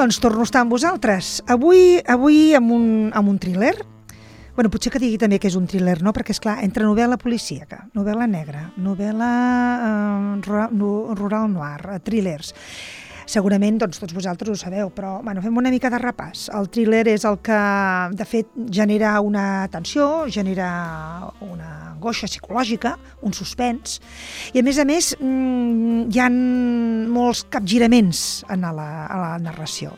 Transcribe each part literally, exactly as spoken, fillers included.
doncs torno a estar amb vosaltres. Avui, avui amb un, amb un thriller. Bueno, potser que digui també que és un thriller, no? Perquè, esclar, entre novel·la policíaca, novel·la negra, novel·la eh, rural, rural noir, thrillers. Segurament doncs, tots vosaltres ho sabeu, però bueno, fem una mica de repàs. El thriller és el que, de fet, genera una tensió, genera una angoixa psicològica, un suspens, i a més a més hi ha molts capgiraments en la, a la narració.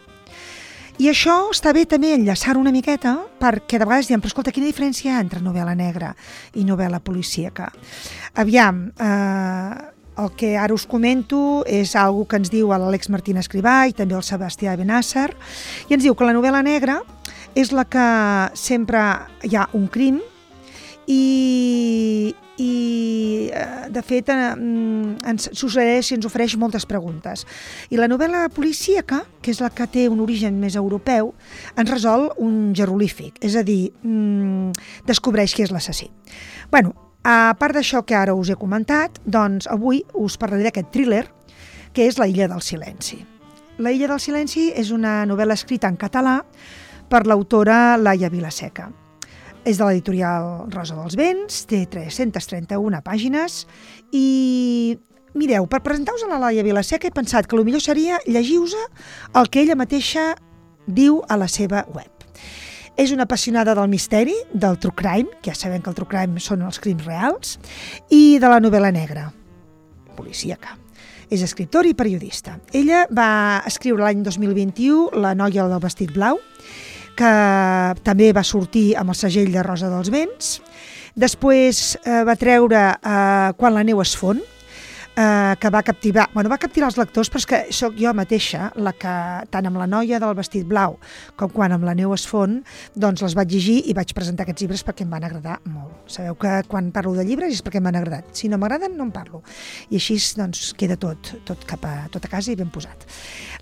I això està bé també enllaçar una miqueta, perquè de vegades diem, però escolta, quina diferència hi ha entre novel·la negra i novel·la policíaca? Aviam, eh, el que ara us comento és algo que ens diu l'Àlex Martín Escrivà i també el Sebastià Benàsser, i ens diu que la novel·la negra és la que sempre hi ha un crim i, i de fet ens suggereix i ens ofereix moltes preguntes. I la novel·la policíaca, que és la que té un origen més europeu, ens resol un jeroglífic, és a dir, descobreix qui és l'assassí. Bueno, a part d'això que ara us he comentat, doncs avui us parlaré d'aquest thriller, que és La illa del silenci. La illa del silenci és una novel·la escrita en català per l'autora Laia Vilaseca. És de l'editorial Rosa dels Vents, té tres-centes trenta-una pàgines i, mireu, per presentar-vos a la Laia Vilaseca he pensat que el millor seria llegir-vos el que ella mateixa diu a la seva web. És una apassionada del misteri, del true crime, que ja sabem que el true crime són els crims reals, i de la novel·la negra, policíaca. És escriptora i periodista. Ella va escriure l'any dos mil vint-i-u La noia del vestit blau, que també va sortir amb el segell de Rosa dels Vents. Després eh, va treure eh, Quan la neu es fon, eh, que va captivar, bueno, va captivar els lectors, però és que sóc jo mateixa la que, tant amb La noia del vestit blau com quan amb La neu es fon, doncs les vaig llegir i vaig presentar aquests llibres perquè em van agradar molt. Sabeu que quan parlo de llibres és perquè m'han agradat. Si no m'agraden, no en parlo. I així doncs, queda tot, tot cap a, tot a casa i ben posat.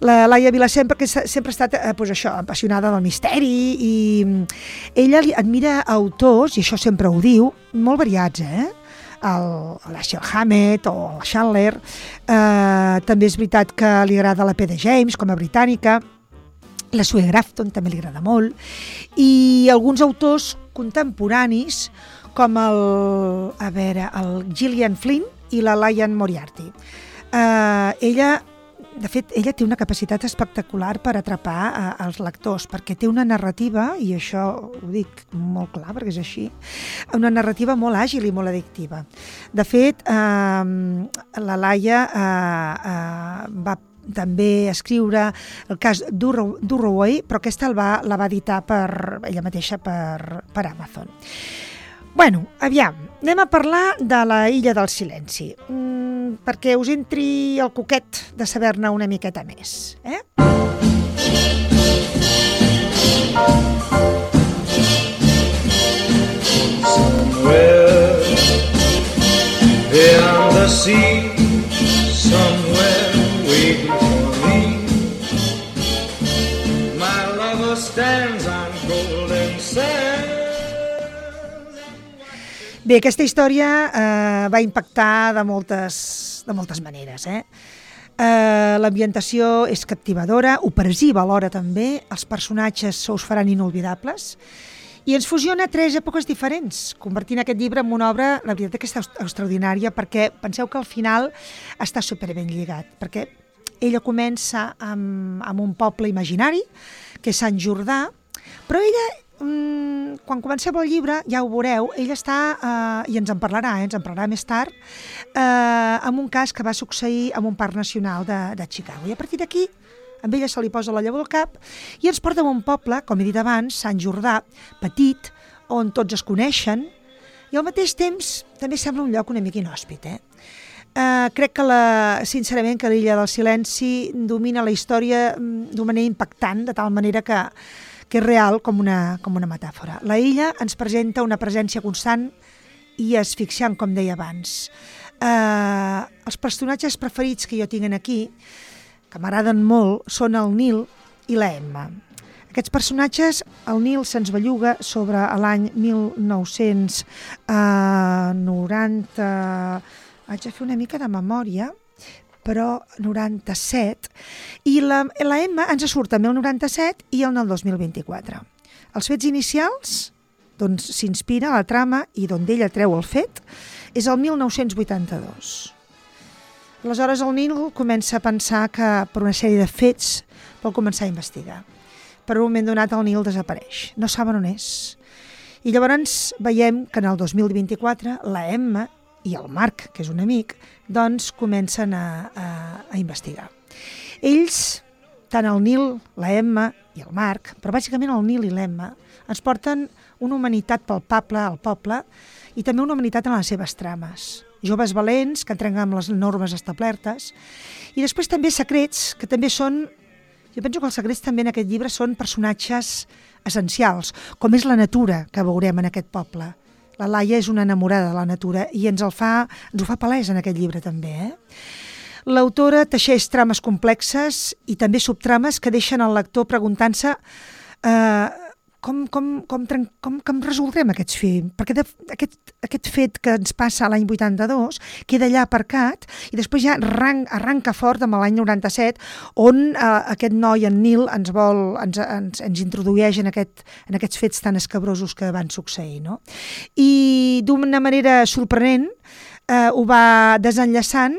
La Laia Vilaseca sempre, sempre ha estat eh, doncs això, apassionada del misteri i ella admira autors, i això sempre ho diu, molt variats, eh? l'Ashley Hammett o el Chandler, eh, també és veritat que li agrada la P D James com a britànica, la Sue Grafton també li agrada molt, i alguns autors contemporanis com el, a veure, el Gillian Flynn i la Liane Moriarty. Eh, ella De fet, ella té una capacitat espectacular per atrapar eh, els lectors, perquè té una narrativa, i això ho dic molt clar perquè és així, una narrativa molt àgil i molt addictiva. De fet, eh, la Laia eh, eh, va també escriure el cas d'Urroway, però aquesta el va, la va editar per ella mateixa per, per Amazon. Bueno, aviam, anem a parlar de La illa del silenci, mm, perquè us entri el coquet de saber-ne una miqueta més. Eh? Somewhere beyond the sea, somewhere waiting for me, my lover stands on golden sand. Bé, aquesta història eh, va impactar de moltes, de moltes maneres. Eh? Eh, l'ambientació és captivadora, opressiva alhora també, els personatges se us faran inolvidables i ens fusiona tres èpoques diferents, convertint aquest llibre en una obra, la veritat que és extraordinària, perquè penseu que al final està superben lligat, perquè ella comença amb, amb un poble imaginari, que és Sant Jordà, però ella quan comenceu el llibre, ja ho veureu, ella està, eh, i ens en parlarà, eh, ens en parlarà més tard, eh, amb un cas que va succeir en un parc nacional de, de Chicago. I a partir d'aquí, amb ella se li posa la llavor al cap i ens porta a un poble, com he dit abans, Sant Jordà, petit, on tots es coneixen, i al mateix temps també sembla un lloc una mica inhòspit. Eh? Eh, crec que, la, sincerament, que l'illa del silenci domina la història d'una manera impactant, de tal manera que que és real com una, com una metàfora. La illa ens presenta una presència constant i asfixiant, com deia abans. Eh, els personatges preferits que jo tinc aquí, que m'agraden molt, són el Neil i la Emma. Aquests personatges, el Neil se'ns belluga sobre l'any mil nou-cents noranta... Haig de fer una mica de memòria, però noranta-set, i la, la M ens surt en el noranta-set i en el dos mil vint-i-quatre. Els fets inicials, d'on s'inspira la trama i d'on ella treu el fet, és el mil nou-cents vuitanta-dos. Aleshores el Neil comença a pensar que per una sèrie de fets vol començar a investigar. Per un moment donat el Neil desapareix, no saben on és. I llavors veiem que en el dos mil vint-i-quatre la Emma i el Marc, que és un amic, doncs comencen a, a, a investigar. Ells, tant el Neil, la Emma i el Marc, però bàsicament el Neil i l'Emma, ens porten una humanitat palpable al poble i també una humanitat en les seves trames. Joves valents que entren amb les normes establertes i després també secrets que també són, jo penso que els secrets també en aquest llibre són personatges essencials, com és la natura que veurem en aquest poble. La Laia és una enamorada de la natura i ens, el fa, ens ho fa palès en aquest llibre també. Eh? L'autora teixeix trames complexes i també subtrames que deixen el lector preguntant-se eh, com, com, com, com, com resoldrem aquests films, perquè de, aquest, aquest fet que ens passa l'any vuitanta-dos queda allà aparcat i després ja arranca, arranca fort amb l'any noranta-set on eh, aquest noi, en Neil, ens, vol, ens, ens, ens introdueix en, aquest, en aquests fets tan escabrosos que van succeir. No? I d'una manera sorprenent eh, ho va desenllaçant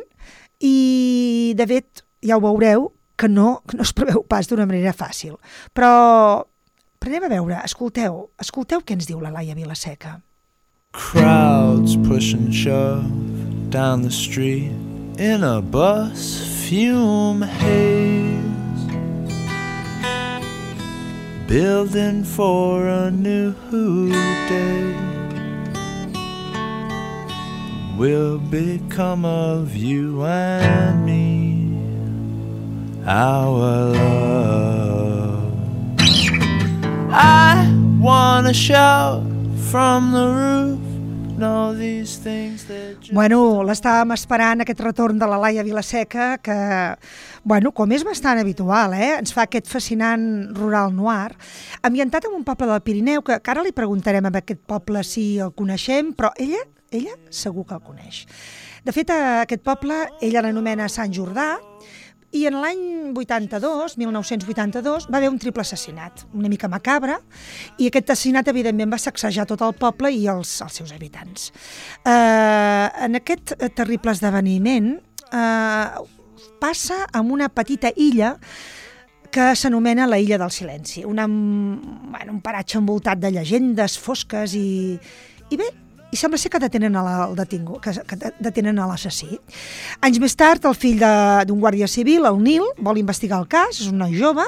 i, de fet, ja ho veureu, que no, que no es preveu pas d'una manera fàcil. Però anem a veure, escolteu, escolteu què ens diu la Laia Vilaseca. Crowds push and shove down the street in a bus fume haze, building for a new day. Will become of you and me, our love. I wanna shout from the roof. No, these things that just... Bueno, l'estàvem esperant, aquest retorn de la Laia Vilaseca, que, bueno, com és bastant habitual, eh? Ens fa aquest fascinant rural noir, ambientat en un poble del Pirineu, que, que ara li preguntarem a aquest poble si el coneixem, però ella, ella segur que el coneix. De fet, aquest poble ella l'anomena Sant Jordà, i en l'any vuitanta-dos, mil nou-cents vuitanta-dos, va haver un triple assassinat, una mica macabre, i aquest assassinat, evidentment, va sacsejar tot el poble i els, els seus habitants. Eh, en aquest terrible esdeveniment eh, passa amb una petita illa que s'anomena la Illa del Silenci, una, bueno, un paratge envoltat de llegendes fosques i, i bé, i sembla ser que detenen el detingut, que, que detenen l'assassí. Anys més tard, el fill d'un guàrdia civil, el Neil, vol investigar el cas, és un noi jove,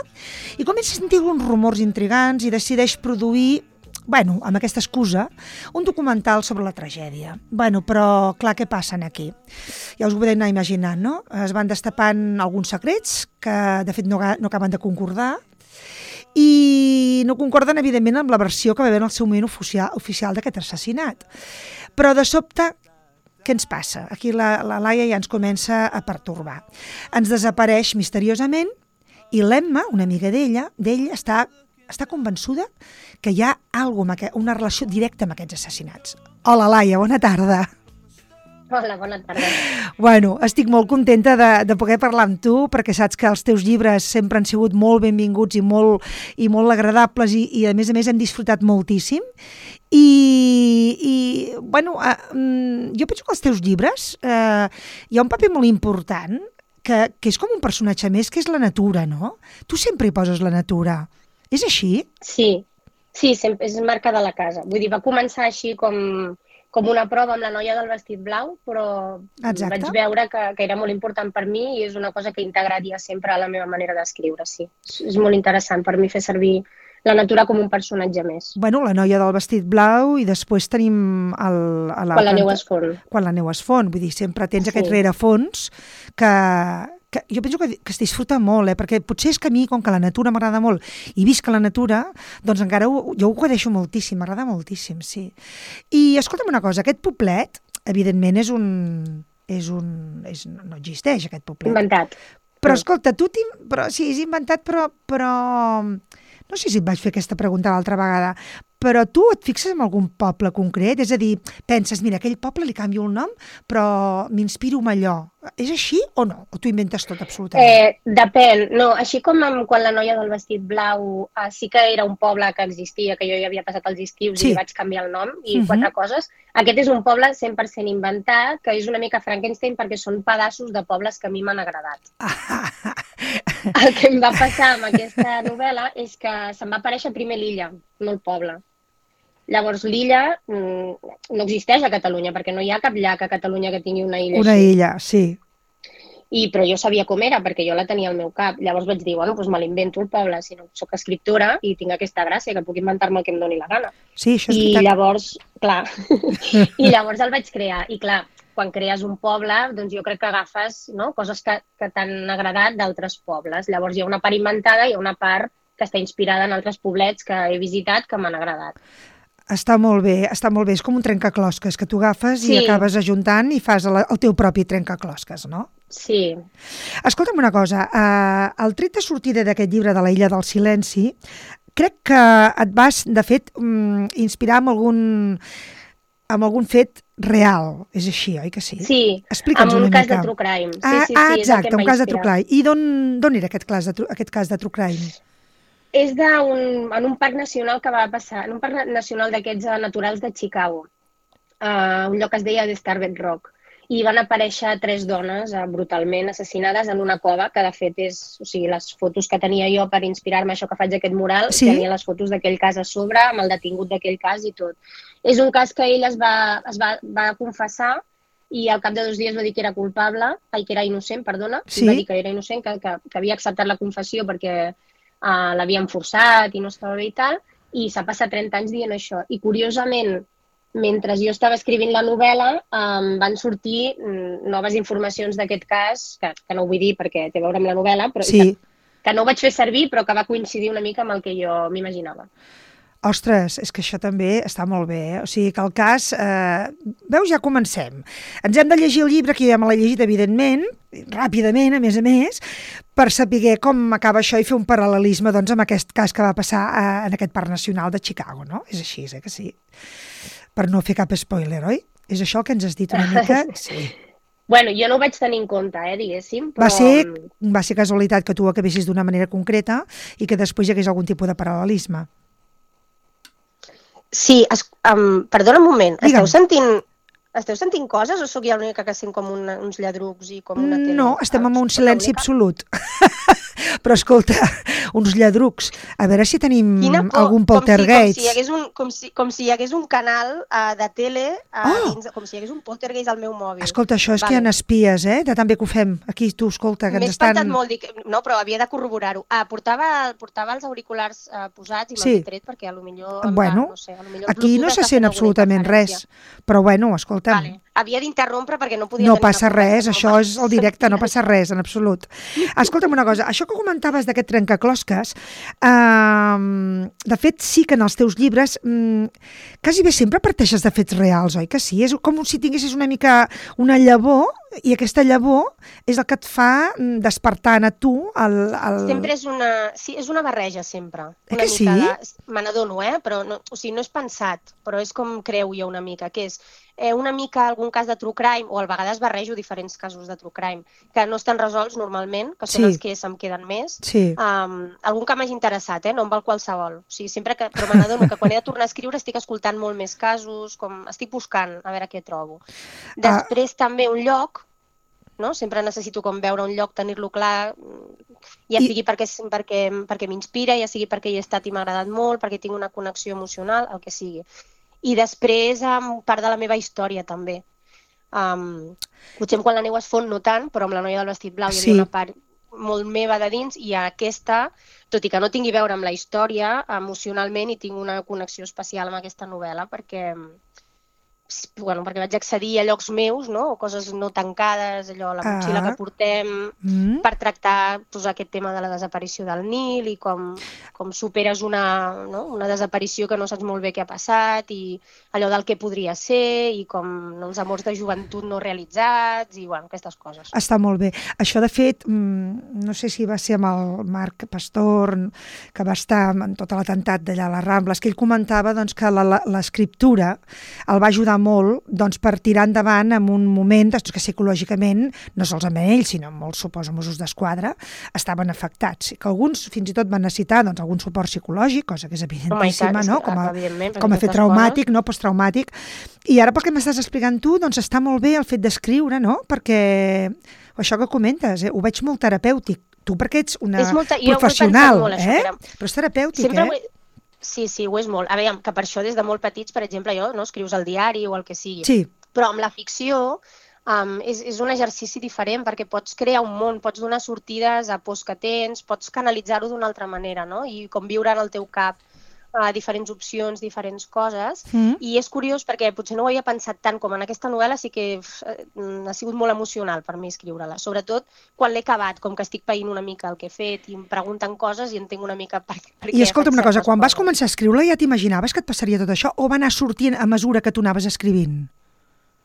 i comença a sentir uns rumors intrigants i decideix produir, bueno, amb aquesta excusa, un documental sobre la tragèdia. Bueno, però, clar, què passa aquí? Ja us ho podeu anar imaginant, no? Es van destapant alguns secrets que, de fet, no, no acaben de concordar, i no concorden, evidentment, amb la versió que va haver en el seu moment oficial, oficial d'aquest assassinat. Però, de sobte, què ens passa? Aquí la, la Laia ja ens comença a pertorbar. Ens desapareix misteriosament i l'Emma, una amiga d'ella, d'ell està, està convençuda que hi ha alguna cosa, una relació directa amb aquests assassinats. Hola, Laia, bona tarda. Hola, bona tarda. Bueno, estic molt contenta de, de poder parlar amb tu, perquè saps que els teus llibres sempre han sigut molt benvinguts i molt, i molt agradables i, i a més a més hem disfrutat moltíssim. I, i bueno, eh, jo penso que els teus llibres eh, hi ha un paper molt important, que, que és com un personatge més, que és la natura, no? Tu sempre hi poses la natura. És així? Sí, sí, sempre és marca de la casa. Vull dir, va començar així com... com una prova amb la noia del vestit blau, però Exacte. Vaig veure que, que era molt important per mi i és una cosa que integraria sempre a la meva manera d'escriure, sí. És molt interessant per mi fer servir la natura com un personatge més. Bueno, la noia del vestit blau i després tenim el... A la quan la neu es fon. Quan la neu es fon, vull dir, sempre tens sí. aquest rerefons que, que jo penso que, que es disfruta molt, eh? Perquè potser és que a mi, com que la natura m'agrada molt i visc a la natura, doncs encara ho, jo ho guardeixo moltíssim, m'agrada moltíssim, sí. I escolta'm una cosa, aquest poblet, evidentment, és un... És un és, no existeix, aquest poblet. Inventat. Però escolta, tu... Però, sí, és inventat, però... però... No sé si et vaig fer aquesta pregunta l'altra vegada, però tu et fixes en algun poble concret? És a dir, penses, mira, aquell poble li canvio el nom, però m'inspiro en allò. És així o no? O tu inventes tot absolutament? Eh, depèn. No, així com amb, quan la noia del vestit blau eh, sí que era un poble que existia, que jo hi havia passat els estius Sí. i li vaig canviar el nom i Mhm. quatre coses. Aquest és un poble cent per cent inventat, que és una mica Frankenstein perquè són pedaços de pobles que a mi m'han agradat. El que em va passar amb aquesta novel·la és que se'm va aparèixer primer l'illa, no el poble. Llavors, l'illa mm, no existeix a Catalunya, perquè no hi ha cap llac a Catalunya que tingui una illa Una així. illa, sí. I, però jo sabia com era, perquè jo la tenia al meu cap. Llavors vaig dir, bueno, doncs me l'invento el poble, si no soc escriptora i tinc aquesta gràcia, que puc inventar-me el que em doni la gana. Sí, això és I veritat. llavors, clar, i llavors el vaig crear. I clar, quan crees un poble, doncs jo crec que agafes, no?, coses que, que t'han agradat d'altres pobles. Llavors hi ha una part inventada i hi ha una part que està inspirada en altres poblets que he visitat que m'han agradat. Està molt bé, està molt bé. És com un trencaclosques que tu agafes i Sí. acabes ajuntant i fas el, el teu propi trencaclosques, no? Sí. Escolta'm una cosa, eh, el tret de sortida d'aquest llibre de la Illa del Silenci, crec que et vas, de fet, mm, inspirar amb algun, amb algun fet real. És així, oi que sí? Sí, Explica'ns amb una un cas mica. de true crime. Sí, Ah, sí, sí, ah, és el exacte, que em un va cas de true inspirar. crime. I d'on d'on era aquest cas, de, tru- aquest cas de true crime? És d'un, en un parc nacional que va passar, en un parc nacional d'aquests eh, naturals de Chicago, uh, un lloc que es deia The Starved Rock, i van aparèixer tres dones uh, brutalment assassinades en una cova, que de fet és, o sigui, les fotos que tenia jo per inspirar-me això que faig aquest mural, Sí? tenia les fotos d'aquell cas a sobre, amb el detingut d'aquell cas i tot. És un cas que ell es va, es va, va confessar i al cap de dos dies va dir que era culpable, ai, que era innocent, perdona, Sí? va dir que era innocent, que, que, que havia acceptat la confessió perquè uh, l'havien forçat i no estava bé i tal, i s'ha passat trenta anys dient això. I curiosament, mentre jo estava escrivint la novel·la, um, van sortir um, noves informacions d'aquest cas, que, que no ho vull dir perquè té a veure amb la novel·la, però Sí. que, que no ho vaig fer servir, però que va coincidir una mica amb el que jo m'imaginava. Ostres, és que això també està molt bé, eh? O sigui que el cas... Eh, veus, ja comencem. Ens hem de llegir el llibre, que ja me l'he llegit, evidentment, ràpidament, a més a més, per saber com acaba això i fer un paral·lelisme doncs, amb aquest cas que va passar eh, en aquest Parc Nacional de Chicago, no? És així, eh, que sí? Per no fer cap spoiler, oi? És això el que ens has dit una mica? Sí. Bueno, jo no ho vaig tenir en compte, eh, diguéssim, però... Va ser, va ser casualitat que tu ho acabessis d'una manera concreta i que després hi hagués algun tipus de paral·lelisme. Sí, es, um, perdona un moment, Digue'm. esteu sentint, esteu sentint coses o sóc jo l'única que sent com una, uns lladrucs i com una tele? No, estem en un Soc silenci l'única? absolut. Però escolta, uns lladrucs. A veure si tenim Quina por, algun com si, poltergeist. com, si hi hagués un, com, si, com si hi hagués un canal uh, de tele, uh, Oh! dins, com si hi hagués un poltergeist al meu mòbil. Escolta, això és que hi Vale. ha espies, eh? De tan bé que ho fem. Aquí, tu, escolta, que M'he ens estan... espantat molt, dic, no, però havia de corroborar-ho. Ah, portava, portava els auriculars uh, posats i me'ls Sí. he tret perquè a lo millor... em Bueno, va, no sé, a lo millor el aquí no Bluetooth se està sent fent alguna absolutament res. interferència. Però bueno, escolta'm, Vale. Havia d'interrompre perquè no podia no tenir una passa conversa res, això normal. és el directe, no passa res, en absolut. Escolta'm una cosa, això que comentaves d'aquest trencaclosques, eh, de fet sí que en els teus llibres mm, quasi bé sempre parteixes de fets reals, oi que sí? És com si tinguessis una mica una llavor i aquesta llavor és el que et fa mm, despertar a tu el... el... Sempre és una, sí, és una barreja, sempre. Eh Una que sí? mica de, me n'adono, eh? Però no, o sigui, no és pensat, però és com creu jo una mica, que és eh, una mica algun cas de true crime, o a vegades barrejo diferents casos de true crime, que no estan resolts normalment, que són Sí. els que se'm queden més. Sí, Um, algun que m'hagi interessat, eh? No em val qualsevol. O sigui, sempre que, però me n'adono que quan he de tornar a escriure estic escoltant molt més casos, com estic buscant a veure què trobo. Després també un lloc, no? Sempre necessito com veure un lloc, tenir-lo clar, ja I- sigui perquè, perquè, perquè m'inspira, ja sigui perquè hi he estat i m'ha agradat molt, perquè tinc una connexió emocional, el que sigui. I després um, part de la meva història també. Um, potser quan la neu es fon no tant, però amb la noia del vestit blau hi havia Sí. una part molt meva de dins i aquesta, tot i que no tingui a veure amb la història, emocionalment hi tinc una connexió especial amb aquesta novel·la perquè, bueno, perquè vaig accedir a llocs meus, no? O coses no tancades, allò, la motxilla Ah. que portem, Mm. per tractar pues, aquest tema de la desaparició del Nil i com, com superes una, no? una desaparició que no saps molt bé què ha passat i allò del que podria ser i com no, els amors de joventut no realitzats i bueno, aquestes coses. Està molt bé. Això, de fet, mm, no sé si va ser amb el Marc Pastor, que va estar en tot l'atemptat d'allà a les Rambles, que ell comentava doncs, que la- la- l'escriptura el va ajudar molt doncs, per tirar endavant en un moment doncs, que psicològicament, no solament ells, sinó molts, suposo, Mossos d'Esquadra, estaven afectats. Que alguns fins i tot van necessitar doncs, algun suport psicològic, cosa que és evidentíssima, no? com a, com a fet traumàtic, no? Posttraumàtic. I ara, pel que m'estàs explicant tu, doncs està molt bé el fet d'escriure, no? Perquè això que comentes, eh? Ho veig molt terapèutic. Tu perquè ets una És molta- jo ho he professional, pensat molt, això, eh? que era- Però és terapèutic, Sempre eh? ho he- Sí, sí, ho és molt. A veure, que per això des de molt petits, per exemple, jo, no, escrius al diari o el que sigui. Sí. Però amb la ficció um, és, és un exercici diferent perquè pots crear un món, pots donar sortides a pors que tens, pots canalitzar-ho d'una altra manera, no? I com viure en el teu cap uh, diferents opcions, diferents coses. Mm. I és curiós perquè potser no ho havia pensat tant com en aquesta novel·la, sí que uf, ha sigut molt emocional per mi escriure-la. Sobretot quan l'he acabat, com que estic païnt una mica el que he fet i em pregunten coses i entenc una mica per, per I què escolta'm faig una cosa, certes quan vas coses. començar a escriure ja t'imaginaves que et passaria tot això o va anar sortint a mesura que tu anaves escrivint?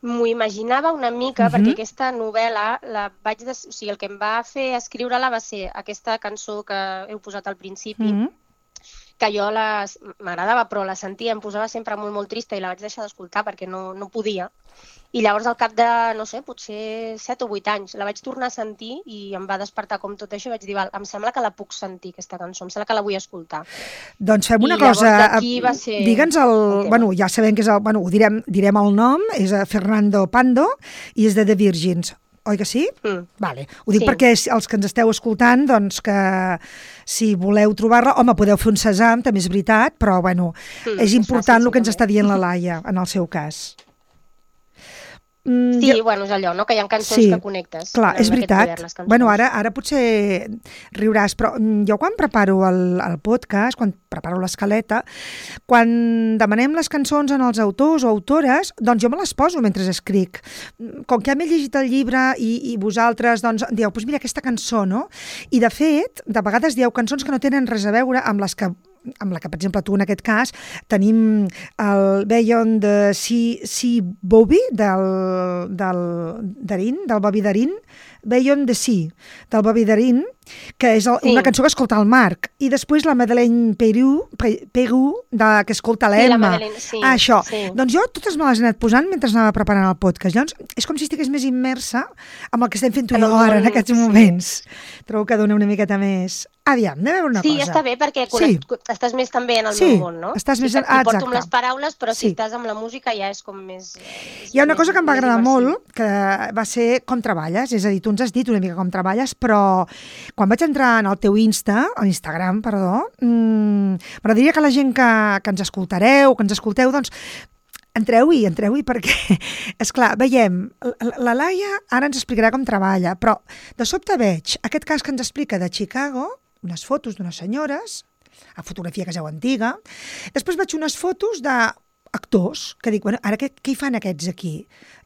M'ho imaginava una mica, Mhm. perquè aquesta novel·la, la vaig des... o sigui, el que em va fer escriure-la va ser aquesta cançó que heu posat al principi, Mm. que jo la- m'agradava, però la sentia, em posava sempre molt, molt trista i la vaig deixar d'escoltar perquè no, no podia. I llavors, al cap de, no sé, potser set o vuit anys, la vaig tornar a sentir i em va despertar com tot això i vaig dir, val, em sembla que la puc sentir, aquesta cançó, em sembla que la vull escoltar. Doncs fem una I llavors cosa, d'aquí va ser digue'ns el, el tema. bueno, ja sabem que és el, bueno, ho direm, direm el nom, és eh, Fernando Pando i és de The Virgins, oi que sí? Mm. Vale. Ho dic Sí. perquè si- els que ens esteu escoltant, doncs que si voleu trobar-la, home, podeu fer un sesam, també és veritat, però bueno, Mm, és és important fàcil, el que ens sí, està dient la Laia, en el seu cas. Mm, Sí, jo- bueno, és allò, no? Que hi ha cançons Sí, que connectes. clar, amb és aquest veritat. poder, les cançons. Bueno, ara, ara potser riuràs, però mm, jo quan preparo el, el podcast, quan preparo l'escaleta, quan demanem les cançons en els autors o autores, doncs jo me les poso mentre escric. Com que ja m'he llegit el llibre i, i vosaltres doncs, dieu, doncs mira aquesta cançó, no? I de fet, de vegades dieu cançons que no tenen res a veure amb les que amb la que, per exemple, tu en aquest cas, tenim el Beyond de Sea, sea Bobby, del, del Darin, del Bobby Darin, Beyond the Sea, del Bobby Darin, que és el, Sí. una cançó que escolta el Marc, i després la Madeleine Peru, Pe- Peru de, que escolta Sí, la l'Emma. Madeleine, sí, ah, això. sí. Doncs jo totes me les he anat posant mentre anava preparant el podcast. Llavors, és com si estigués més immersa amb el que estem fent tu i En el jo ara, en món, aquests sí. moments. Trobo que dona una miqueta més... Aviam, anem a veure una Sí, cosa. està bé perquè Sí. connect, estàs més també en el Sí, meu món, no? estàs més sí, en- que t'hi porto exacte. amb les paraules, però Sí. si estàs amb la música ja és com més... És Hi ha una més- cosa que em va més agradar immersiu. molt, que va ser com treballes, és a dir, tu ens has dit una mica com treballes, però quan vaig entrar en el teu Insta, a Instagram, perdó, mmm, m'agradaria que la gent que, que ens escoltareu, que ens escolteu, doncs, entreu-hi, entreu-hi, perquè, és clar, veiem, la, la Laia ara ens explicarà com treballa, però de sobte veig aquest cas que ens explica de Chicago, unes fotos d'unes senyores, a fotografia que és antiga, després veig unes fotos de actors, que dic, bueno, ara què, què hi fan aquests aquí?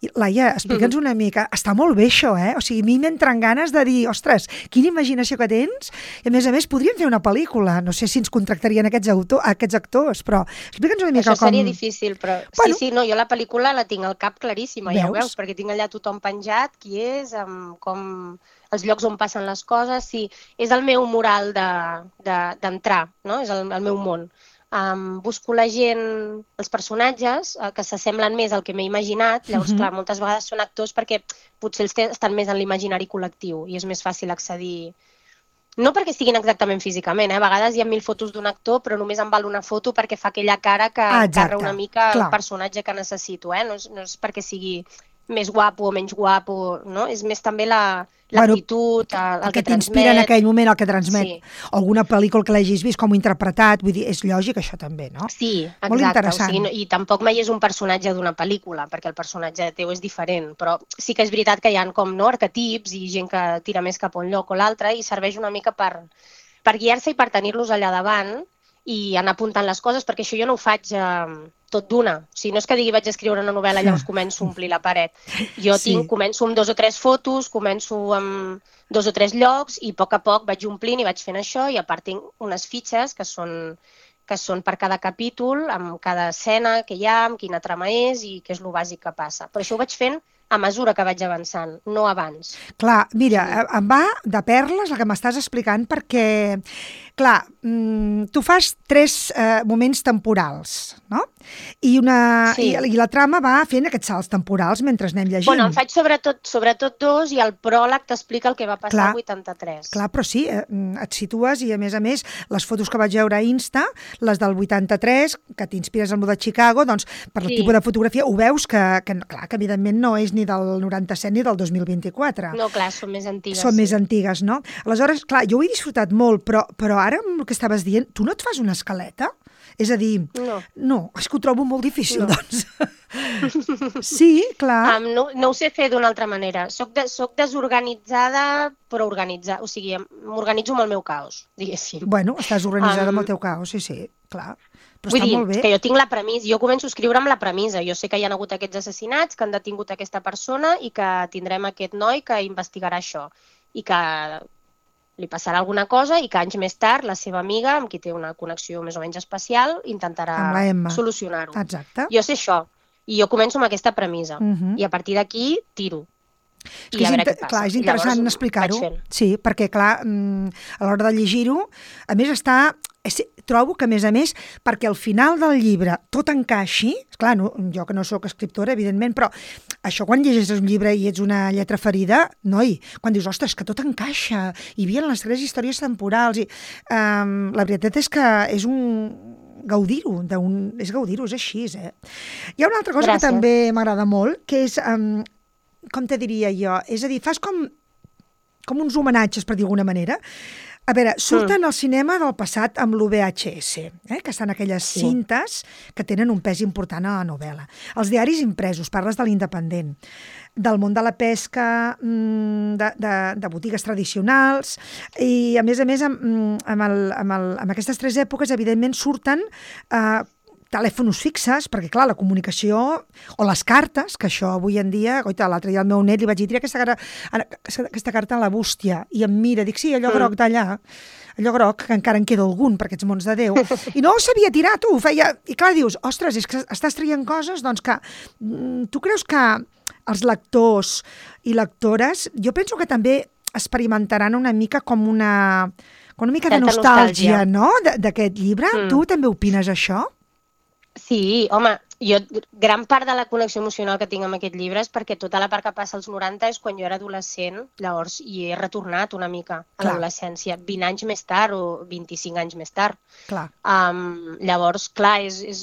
I, Laia, explica'ns una mica. Està molt bé això, eh? O sigui, a mi m'entren ganes de dir, ostres, quina imaginació que tens, i a més a més podríem fer una pel·lícula, no sé si ens contractarien aquests, autor, aquests actors, però explica'ns una mica Això com... seria difícil, però Bueno. sí, sí, no, jo la pel·lícula la tinc al cap claríssima, ja ho Veus? veus, perquè tinc allà tothom penjat, qui és, amb com els llocs on passen les coses, sí, és el meu mural d'entrar, de, d'entrar, no? És el, el meu món. Um, busco la gent, els personatges uh, que s'assemblen més al que m'he imaginat, llavors, Mhm. clar, moltes vegades són actors perquè potser els té- estan més en l'imaginari col·lectiu i és més fàcil accedir. No perquè estiguin exactament físicament, eh? A vegades hi ha mil fotos d'un actor, però només em val una foto perquè fa aquella cara que Ah, exacte, encarra una mica clar. el personatge que necessito, eh? No és, no és perquè sigui més guapo o menys guapo, no? És més també la, l'actitud, el, el, el que que t'inspira en transmet. aquell moment, el que transmet. Sí. O alguna pel·lícula que l'hagis vist com interpretat, vull dir, és lògic això també, no? Sí, exacte. Molt interessant. O sigui, no, i tampoc mai és un personatge d'una pel·lícula, perquè el personatge teu és diferent, però sí que és veritat que hi ha com no, arquetips i gent que tira més cap a un lloc o l'altre i serveix una mica per, per guiar-se i per tenir-los allà davant i anar apuntant les coses, perquè això jo no ho faig eh, tot d'una. O sigui, no és que digui vaig escriure una novel·la i llavors començo a omplir la paret. Jo Sí. tinc, començo amb dos o tres fotos, començo amb dos o tres llocs i a poc a poc vaig omplint i vaig fent això, i a part tinc unes fitxes que són, que són per cada capítol, amb cada escena que hi ha, amb quina trama és i què és el bàsic que passa. Però això ho vaig fent a mesura que vaig avançant, no abans. Clar, mira, em va de perles el que m'estàs explicant perquè, clar, mm, tu fas tres eh, moments temporals, no? I, una, Sí. i, I la trama va fent aquests salts temporals mentre anem llegint. Bueno, en faig sobretot, sobretot dos i el pròleg t'explica el que va passar Clar. al vuitanta-tres. Clar, però sí, eh, et situes i, a més a més, les fotos que vaig veure a Insta, les del vuitanta-tres, que t'inspires amb el de Chicago, doncs, per el Sí. tipus de fotografia, ho veus que, que, clar, que evidentment no és ni del noranta-set ni del dos mil vint-i-quatre. No, clar, són més antigues. Són sí. més antigues, no? Aleshores, clar, jo ho he disfrutat molt, però, però ara amb el que estaves dient, tu no et fas una escaleta? És a dir, No. no, és que ho trobo molt difícil, No. doncs. Sí, clar. Um, no, no ho sé fer d'una altra manera. Soc, de, soc desorganitzada, però organitzada. O sigui, m'organitzo amb el meu caos, diguéssim. Bueno, estàs organitzada Am, amb el teu caos, sí, sí, clar. Però Vull està dir, molt bé. que jo tinc la premissa, jo començo a escriure amb la premissa. Jo sé que hi ha hagut aquests assassinats, que han detingut aquesta persona i que tindrem aquest noi que investigarà això. I que li passarà alguna cosa i que anys més tard la seva amiga, amb qui té una connexió més o menys especial, intentarà Amb la Emma. solucionar-ho. Exacte. Jo sé això. I jo començo amb aquesta premissa. Mhm. I a partir d'aquí tiro. És, que és, inter... clar, és interessant explicar-ho. Sí, perquè, clar, a l'hora de llegir-ho, a més està... Trobo que, a més a més, perquè al final del llibre tot encaixi, clar, no, jo que no sóc escriptora, evidentment, però això quan llegeixes un llibre i ets una lletra ferida, noi, quan dius, ostres, que tot encaixa, hi havia les tres històries temporals, i um, la veritat és que és un gaudir-ho, és gaudir-ho, és així, eh? Hi ha una altra cosa Gràcies. Que també m'agrada molt, que és, um, com te diria jo, és a dir, fas com, com uns homenatges, per dir d'alguna manera. A veure, surten mm. al cinema del passat amb l'U V H S, eh? Que estan aquelles sí. cintes que tenen un pes important a la novel·la. Els diaris impresos, parles de l'Independent, del món de la pesca, de, de, de botigues tradicionals, i a més a més amb, amb, el, amb, el, amb aquestes tres èpoques evidentment surten eh, telèfons fixes, perquè clar, la comunicació o les cartes, que això avui en dia, goita, l'altre dia al meu net li vaig dir, tira aquesta, aquesta carta a la bústia, i em mira, dic, sí, allò groc d'allà, allò groc, que encara en queda algun per aquests mons de Déu, i no sabia tirar, tu, feia, i clar, dius, ostres, és que estàs traient coses, doncs que, tu creus que els lectors i lectores, jo penso que també experimentaran una mica com una, com una mica de nostàlgia, nostàlgia. No?, d'aquest llibre. Mm. Tu també opines això? Sí, home, jo gran part de la connexió emocional que tinc amb aquest llibre és perquè tota la part que passa als noranta és quan jo era adolescent, llavors hi he retornat una mica a l'adolescència, vint anys més tard o vint-i-cinc anys més tard. Clar. Um, llavors, clar, és, és,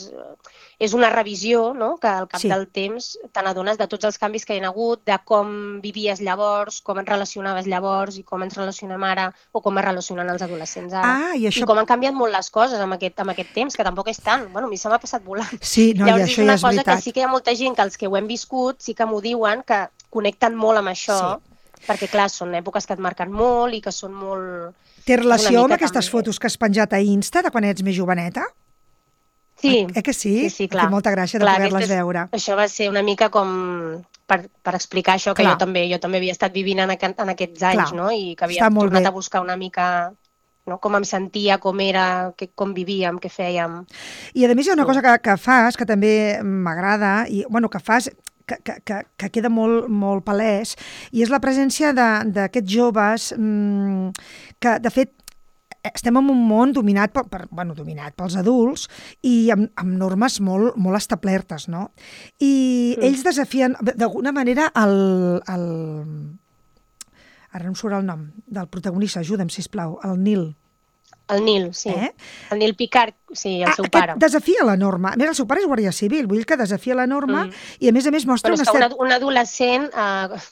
és una revisió, no?, que al cap sí. del temps te n'adones de tots els canvis que hi ha hagut, de com vivies llavors, com et relacionaves llavors i com ens relacionem ara, o com es relacionen els adolescents ara. Ah, i, això... I com han canviat molt les coses amb aquest, amb aquest temps, que tampoc és tant. Bueno, a mi se m'ha passat volant. Sí, no, llavors, i això ja és veritat. És una cosa que sí que hi ha molta gent que els que ho hem viscut sí que m'ho diuen, que connecten molt amb això, sí. perquè clar, són èpoques que et marquen molt i que són molt... Té relació amb aquestes també. Fotos que has penjat a Insta de quan ets més joveneta? Sí. Eh que sí? Sí, sí, clar. Té molta gràcia de poder-les veure. Això va ser una mica com per, per explicar això, que clar. jo també jo també havia estat vivint en, aqu en aquests anys, clar. no? I que havia tornat bé. a buscar una mica... No? Com em sentia, com era, que, com vivíem, què fèiem. I a més hi ha una cosa que, que fas, que també m'agrada, i bueno, que fas, que, que, que, que queda molt, molt palès, i és la presència d'aquests joves mmm, que, de fet, estem en un món dominat, per, per, bueno, dominat pels adults i amb, amb normes molt, molt establertes, no? I mm. ells desafien, d'alguna manera, el... el ara no em surt el nom del protagonista, ajuda'm, sisplau, el Nil. El Nil, sí. Eh? El Nil Picard, sí, el ah, seu pare. Desafia la norma. A més, el seu pare és guàrdia civil, vull dir que desafia la norma mm. i, a més a més, mostra Però una... Però és que un adolescent, eh,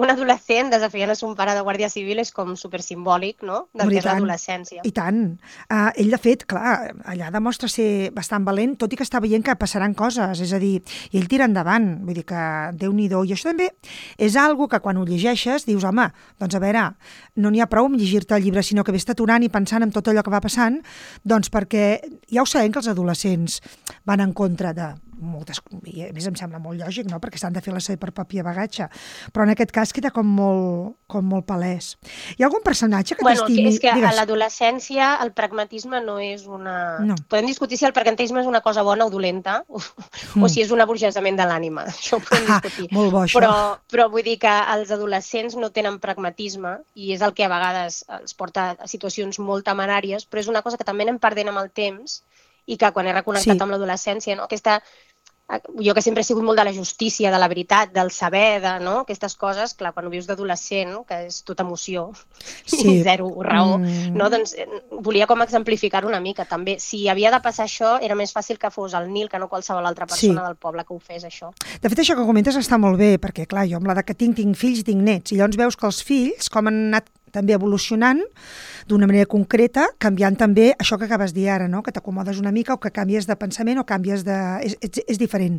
un adolescent desafiant a son pare de guàrdia civil és com supersimbòlic, no?, del que és l'adolescència. I tant. Uh, ell, de fet, clar, allà demostra ser bastant valent, tot i que està veient que passaran coses, és a dir, i ell tira endavant, vull dir que Déu-n'hi-do. I això també és algo que quan ho llegeixes dius, home, doncs a veure, no n'hi ha prou amb llegir-te el llibre, sinó que vés aturant i pensant en tot allò que va passant, doncs perquè ja ho sabem que els adolescents van en contra de moltes, i a més em sembla molt lògic, no?, perquè s'han de fer la seva per paper bagatge, però en aquest cas queda com molt, com molt palès. Hi ha algun personatge que bueno, t'estimi? És que Digues. a l'adolescència el pragmatisme no és una... No. Podem discutir si el pragmatisme és una cosa bona o dolenta, o, mm. o si és un aburgesament de l'ànima. Això ho podem ah, discutir. Molt bo, això. Però, però vull dir que els adolescents no tenen pragmatisme i és el que a vegades els porta a situacions molt temeràries, però és una cosa que també anem perdent amb el temps i que quan he reconnectat sí. amb l'adolescència, no? Aquesta... Jo que sempre he sigut molt de la justícia, de la veritat, del saber, de, no? Aquestes coses, clar, quan ho vius d'adolescent, que és tota emoció sí. i zero raó, mm. no? Doncs volia com exemplificar una mica també. Si havia de passar això, era més fàcil que fos el Nil que no qualsevol altra persona sí. del poble que ho fes, això. De fet, això que comentes està molt bé, perquè, clar, jo amb la de que tinc, tinc fills i tinc nets, i llavors veus que els fills, com han anat també evolucionant d'una manera concreta, canviant també això que acabes de dir ara, no? Que t'acomodes una mica o que canvies de pensament o canvies de... És, és, és diferent.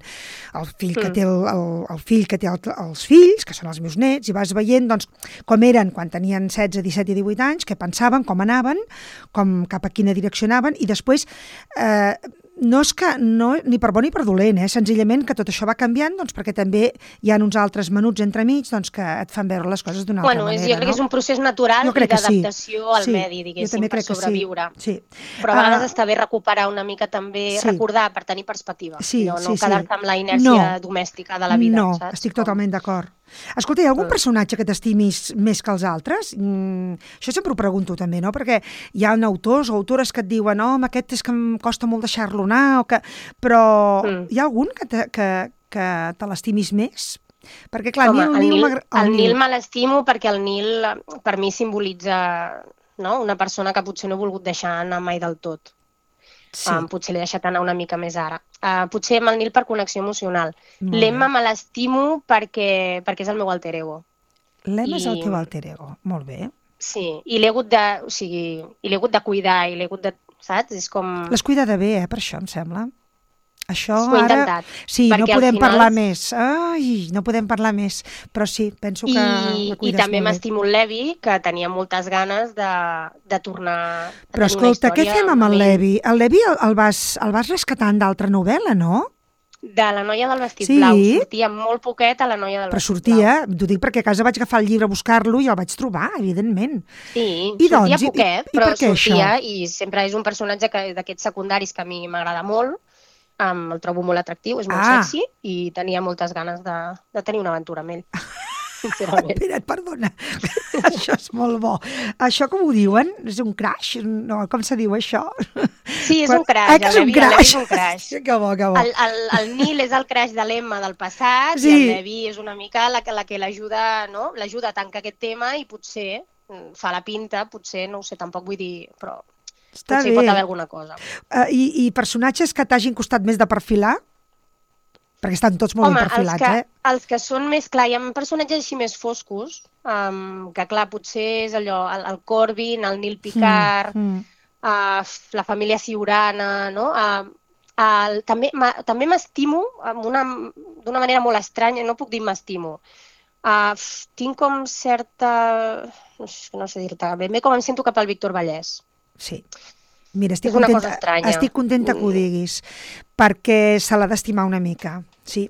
El fill que té, el, el, el fill que té el, els fills, que són els meus nets, i vas veient doncs, com eren quan tenien setze, disset i divuit anys, què pensaven, com anaven, com, cap a quina direcció anaven, i després... Eh, no és que, no, ni per bo ni per dolent, eh? Senzillament que tot això va canviant, doncs perquè també hi ha uns altres menuts entremig doncs, que et fan veure les coses d'una bueno, altra és, manera. Jo crec no? que és un procés natural i d'adaptació sí. al sí. medi, diguéssim, per sobreviure. Sí. Sí. Però a vegades uh, està bé recuperar una mica també, sí. recordar per tenir perspectiva, sí, no, no sí, quedar-te sí. amb la inèrcia no. domèstica de la vida. No, saps? estic totalment d'acord. Escolta, hi ha algun personatge que t'estimis més que els altres? Mm, això sempre ho pregunto també, no? Perquè hi ha autors o autores que et diuen no, oh, aquest és que em costa molt deixar-lo anar, o que... però mm. hi ha algun que te, que, que te l'estimis més? Perquè, clar, Home, Nil, el Nil, Nil, el, el Nil me l'estimo perquè el Nil per mi simbolitza, no?, una persona que potser no he volgut deixar anar mai del tot. Sí. Um, potser l'he deixat anar una mica més ara. Uh, potser amb el Nil per connexió emocional. L'Emma me l'estimo perquè, perquè és el meu alter ego. L'Emma I... és el teu alter ego, molt bé. Sí, i l'he hagut de, o sigui, i l'he hagut de cuidar, i l'he hagut de, saps? És com... L'has cuidat bé, eh, per això, em sembla. Això ho he ara... intentat. Sí, no podem final... parlar més. Ai, no podem parlar més. Però sí, penso que I, la cuides I també molt bé. m'estimo el Levi, que tenia moltes ganes de, de tornar a Però escolta, què fem amb el Levi? El Levi el, el, vas, el vas rescatar d'altra novel·la, no? De la noia del vestit sí. blau. Sortia molt poquet a la noia del Però vestit sortia, blau. t'ho dic perquè a casa vaig agafar el llibre a buscar-lo i el vaig trobar, evidentment. Sí, I sortia doncs, poquet, i, i, però i sortia això? i sempre és un personatge d'aquests secundaris que a mi m'agrada molt, um, el trobo molt atractiu, és molt ah. sexy i tenia moltes ganes de, de tenir una aventura amb ell. Sincerament. Espera't, perdona. Això és molt bo. Això com ho diuen? És un crash? No, com se diu això? Sí, és un crash. Ah, que és un crash? És un crash. Que bo, que bo. El, el, el Nil és el crash de l'Emma del passat sí. i el Levi és una mica la, la que l'ajuda, no? L'ajuda a tancar aquest tema i potser fa la pinta, potser, no ho sé, tampoc vull dir, però Està potser bé. hi pot haver alguna cosa. Uh, i, I personatges que t'hagin costat més de perfilar? Perquè estan tots molt Home, ben perfilats, els que, eh? els que són més, clar, hi ha personatges així més foscos, um, que clar, potser és allò, el, el Corbin, el Neil Picard, mm, mm. Uh, la família Ciurana, no? Uh, el, també també m'estimo d'una manera molt estranya, no puc dir m'estimo. Uh, tinc com certa... No sé, no sé dir-te, ben bé com em sento cap al Víctor Vallès. Sí. Mira, estic és una contenta, cosa estranya. Estic contenta que ho diguis, perquè se l'ha d'estimar una mica, sí.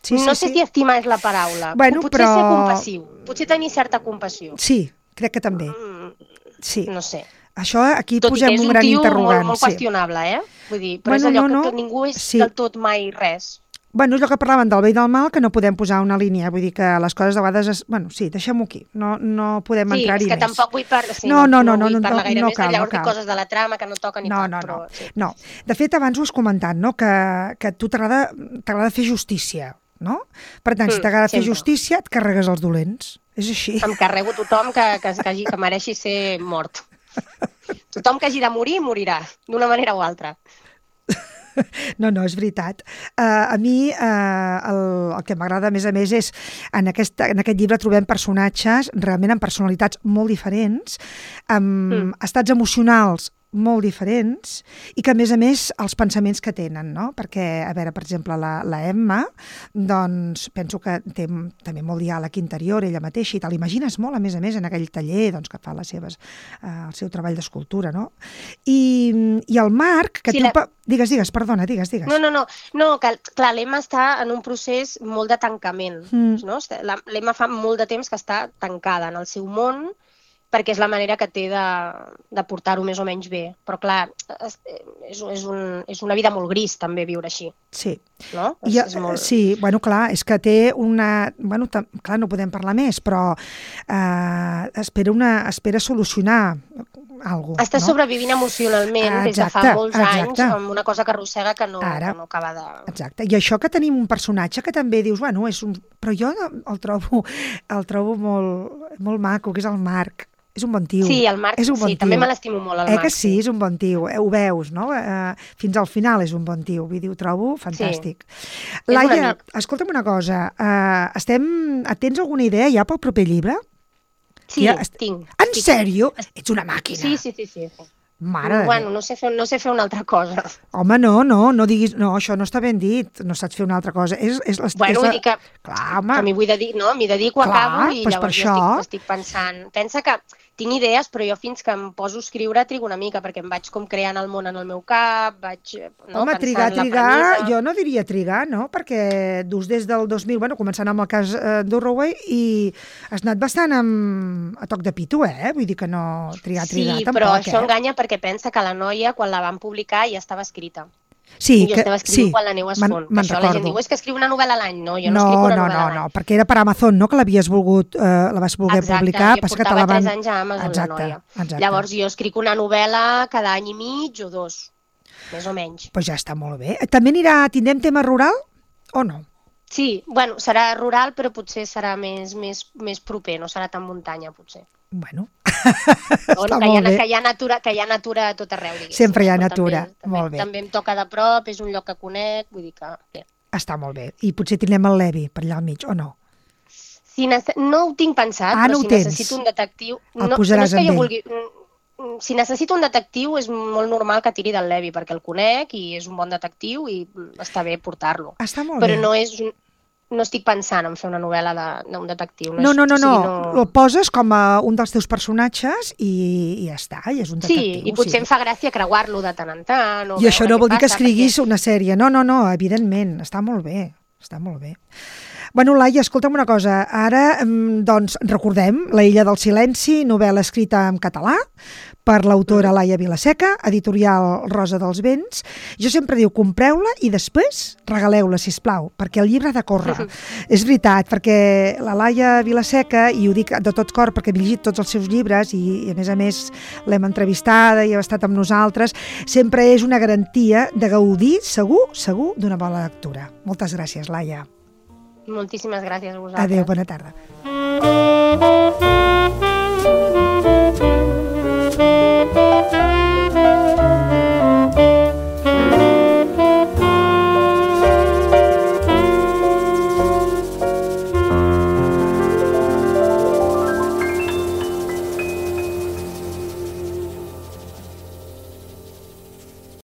sí, sí no sé sí. si estimar és la paraula, bueno, potser però... ser compassiu, potser tenir certa compassió. Sí, crec que també, mm, sí. No sé. Això aquí tot posem un, un gran interrogant. Tot i que és un tio molt, molt sí. qüestionable, eh? Vull dir, però bueno, és allò no, no. que, que ningú és sí. del tot mai res. Bueno, és el que parlaven del bé i del mal, que no podem posar una línia. Vull dir que les coses a vegades... Es... Bueno, sí, deixem-ho aquí. No, no podem sí, entrar-hi més. Sí, és que tampoc vull parlar, sí, no, no, no, no, no, vull no, parlar gaire no més, cal, llavors no cal. dic coses de la trama que no toquen ni no, tant. No, però, no, sí. no. De fet, abans ho has comentat, no? que, que a tu t'agrada fer justícia, no? Per tant, si t'agrada fer justícia, et carregues els dolents. És així. Em carrego tothom que, que, que, hagi, que mereixi ser mort. Tothom que hagi de morir, morirà, d'una manera o altra. No, no, és veritat. Uh, a mi uh, el, el que m'agrada, a més a més, és en aquest, en aquest llibre trobem personatges realment amb personalitats molt diferents, amb mm. estats emocionals molt diferents i que, a més a més, els pensaments que tenen, no? Perquè, a veure, per exemple, la, la Emma, doncs, penso que té també molt diàleg interior, ella mateixa, i te l'imagines molt, a més a més, en aquell taller doncs, que fa les seves, eh, el seu treball d'escultura, no? I, i el Marc, que Sí, té... la- Digues, digues, perdona, digues, digues. No, no, no, no que, clar, l'Emma està en un procés molt de tancament, Mm. no? La- L'Emma fa molt de temps que està tancada en el seu món, perquè és la manera que té de, de portar-ho més o menys bé. Però, clar, és, és, és, un, és una vida molt gris, també, viure així, Sí. no? És, I, és molt... Sí, bueno, clar, és que té una... Bueno, tam, clar, no podem parlar més, però eh, espera, una, espera solucionar alguna cosa. Està no? sobrevivint emocionalment des de fa Exacte, molts anys, exacte. amb una cosa que arrossega que no, Ara. que no acaba de... Exacte. I això que tenim un personatge que també dius, bueno, és un... Però jo el trobo, el trobo molt, molt maco, que és el Marc. És un bon tio. Sí, el Marc, és un bon sí, tio. també me l'estimo molt, el eh Marc. que sí, és un bon tio. Eh, ho veus, no? Eh, fins al final és un bon tio. Vull dir, ho trobo fantàstic. un Laia, amic. escolta'm una cosa. Eh, estem... Tens alguna idea ja pel proper llibre? Sí, Ja est- tinc. En tinc. sèrio? Ets una màquina. Sí, sí, sí, sí. sí. Mare de Bueno, Déu. no sé, fer, no sé fer una altra cosa. Home, no, no, no diguis... No, això no està ben dit. No saps fer una altra cosa. És, és, és, Bueno, és vull dir que, Clar, home. que m'hi vull dedicar, no? M'hi dedico, Clar, acabo i doncs per llavors jo això. estic, estic pensant... Pensa que tinc idees, però jo fins que em poso a escriure trigo una mica, perquè em vaig com creant el món en el meu cap, vaig no, Home, pensant trigar, la trigar, premissa. jo no diria trigar, no? Perquè dus des del dos mil, bueno, començant amb el cas eh, d'Orroway, i has anat bastant amb, a toc de pito, eh? Vull dir que no trigar, trigar, Sí, tampoc, però això eh? enganya perquè pensa que la noia, quan la van publicar, ja estava escrita. Sí, I jo que, estava escrivint sí, quan la neu es me'n- fon. Que me'n això la gent recordo. diu, és que escriu una novel·la a l'any. No, jo no, No, escric una no, novel·la no, a l'any. no, perquè era per Amazon, no?, que l'havies volgut, eh, la vas voler Exacte, publicar, jo passa que te portava la van... tres anys a Amazon, exacte, la noia. exacte. Llavors jo escric una novel·la cada any i mig o dos, més o menys. Pues ja està molt bé. També anirà, tindrem tema rural o no? Sí, bueno, serà rural, però potser serà més, més, més proper, no serà tan muntanya, potser. Bueno, O està no, que, hi ha, molt bé. que, hi ha natura, que hi ha natura a tot arreu, diguéssim. Sempre hi ha Però natura, també, molt bé. També, també em toca de prop, és un lloc que conec, vull dir que... Bé. Està molt bé. I potser tindrem el Levi per allà al mig, o no? Si nece... No ho tinc pensat, Ah, però no ho si tens. necessito un detectiu... El no, posaràs no és que amb jo ell. vulgui... mm, Si necessito un detectiu és molt normal que tiri del Levi, perquè el conec i és un bon detectiu i està bé portar-lo. Està molt Però bé. no és... un- No estic pensant en fer una novel·la de- d'un detectiu. No, és- no, no, o sigui, no. El poses com a un dels teus personatges i, i ja està, i és un Sí, detectiu. i potser em fa gràcia creuar-lo de tant en tant. O I això veure no què vol dir que passa, escriguis perquè- una sèrie. No, no, no, evidentment. Està molt bé. Està molt bé. Bueno, Laia, escolta'm una cosa. Ara, mm, doncs, recordem La illa del silenci, novel·la escrita en català per l'autora Laia Vilaseca, editorial Rosa dels Vents. Jo sempre diu, compreu-la i després regaleu-la, sisplau, perquè el llibre ha de córrer. És veritat, perquè la Laia Vilaseca, i ho dic de tot cor perquè he llegit tots els seus llibres i, i a més a més l'hem entrevistada i ha estat amb nosaltres, sempre és una garantia de gaudir, segur, segur, d'una bona lectura. Moltes gràcies, Laia. Moltíssimes gràcies a vosaltres. Adéu, bona tarda.